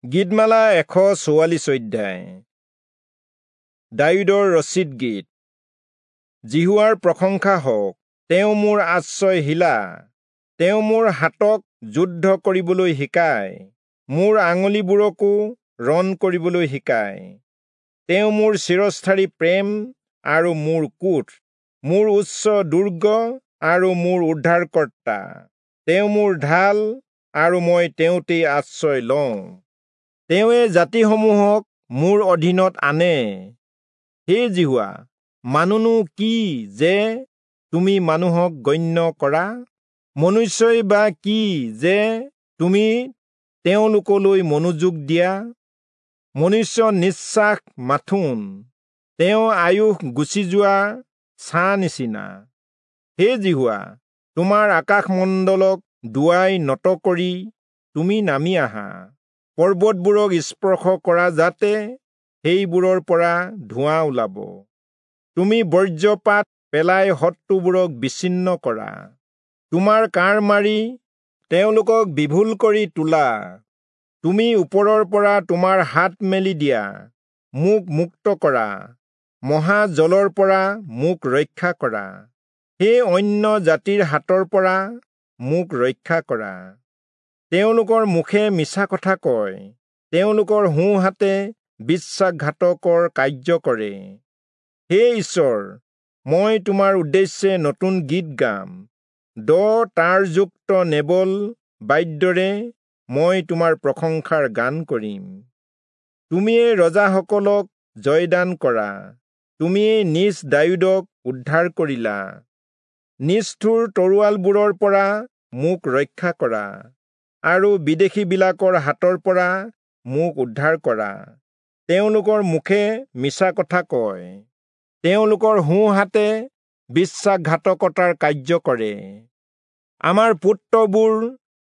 গীতমালা 144 অধ্যায়। দায়ূদৰ ৰচিত গীত। যিহোৱাৰ প্ৰশংসা হওক, তেওঁ মোৰ আশ্ৰয় শিলা, তেওঁ মোৰ হাতক যুদ্ধ কৰিবলৈ শিকায়, মোৰ আঙুলিবোৰকো ৰণ কৰিবলৈ শিকায়। তেওঁ মোৰ চিৰস্থায়ী প্ৰেম আৰু মোৰ কোঁঠ, মোৰ উচ্চ দুৰ্গ আৰু মোৰ উদ্ধাৰকৰ্তা। তেওঁ মোৰ ঢাল আৰু মই তেওঁতেই আশ্ৰয় লওঁ। তেওঁৱে জাতিসমূহক মোৰ অধীনত আনে। হে যিহোৱা, মানুহনো কি যে তুমি মানুহক গণ্য কৰা? মনুষ্যই বা কি যে তুমি তেওঁলোকলৈ মনোযোগ দিয়া? মনুষ্য নিশ্বাস মাথোন, তেওঁ আয়ুস গুচি যোৱা ছাঁ নিচিনা। হে যিহোৱা, তোমাৰ আকাশমণ্ডলক দুৱাই নত কৰি তুমি নামি আহা, পৰ্বতবোৰক স্পৰ্শ কৰা যাতে সেইবোৰৰ পৰা ধোঁৱা ওলাব। তুমি বজ্ৰপাত পেলাই শত্ৰুবোৰক বিচ্ছিন্ন কৰা, তোমাৰ কাঁড় মাৰি তেওঁলোকক বিভুল কৰি তোলা। তুমি ওপৰৰ পৰা তোমাৰ হাত মেলি দিয়া, মোক মুক্ত কৰা, মহাজলৰ পৰা মোক ৰক্ষা কৰা। সেই অন্য জাতিৰ হাতৰ পৰা মোক ৰক্ষা কৰা। তেওঁলোকৰ মুখে মিছা কথা কয়, তেওঁলোকৰ সোঁহাতে বিশ্বাসঘাতকৰ কাৰ্য কৰে। হে ঈশ্বৰ, মই তোমাৰ উদ্দেশ্যে নতুন গীত গাম, দ তাঁৰযুক্ত নেবল বাদ্যৰে মই তোমাৰ প্ৰশংসাৰ গান কৰিম। তুমিয়েই ৰজাসকলক জয়দান কৰা, তুমিয়েই নিজ দায়ূদক উদ্ধাৰ কৰিলা। নিষ্ঠুৰ তৰোৱালবোৰৰ পৰা মোক ৰক্ষা কৰা আৰু বিদেশীবিলাকৰ হাতৰ পৰা মোক উদ্ধাৰ কৰা। তেওঁলোকৰ মুখে মিছা কথা কয়, তেওঁলোকৰ সোঁহাতে বিশ্বাসঘাতকতাৰ কাৰ্য কৰে। আমাৰ পুত্ৰবোৰ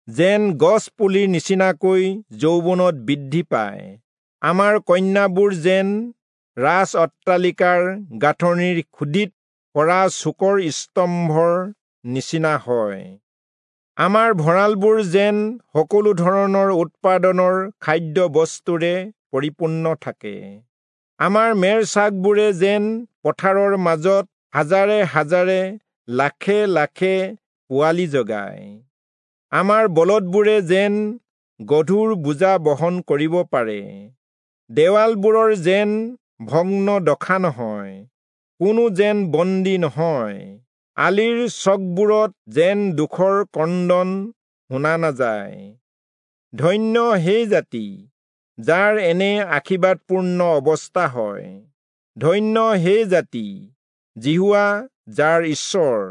যেন গছ পুলিৰ নিচিনাকৈ যৌৱনত বৃদ্ধি পায়, আমাৰ কন্যাবোৰ যেন ৰাজ অট্টালিকাৰ গাঁথনিৰ খুদিত পৰা চুকৰ স্তম্ভৰ নিচিনা হয়। আমাৰ ভঁৰালবোৰ যেন সকলো ধৰণৰ উৎপাদনৰ খাদ্য বস্তুৰে পৰিপূৰ্ণ থাকে। আমাৰ মেৰ চাকবোৰে যেন পথাৰৰ মাজত হাজাৰে হাজাৰে লাখে লাখে পোৱালি জগায়। আমাৰ বলদবোৰে যেন গধুৰ বোজা বহন কৰিব পাৰে। দেৱালবোৰৰ যেন ভগ্ন দশা নহয়, কোনো যেন বন্দী নহয়। আলিৰ চকবোৰত যেন দুখৰ ক্ৰন্দন শুনা নাযায়। ধন্য সেই জাতি যাৰ এনে আশীৰ্বাদপূৰ্ণ অৱস্থা হয়। ধন্য সেই জাতি যিহোৱা যাৰ ঈশ্বৰ।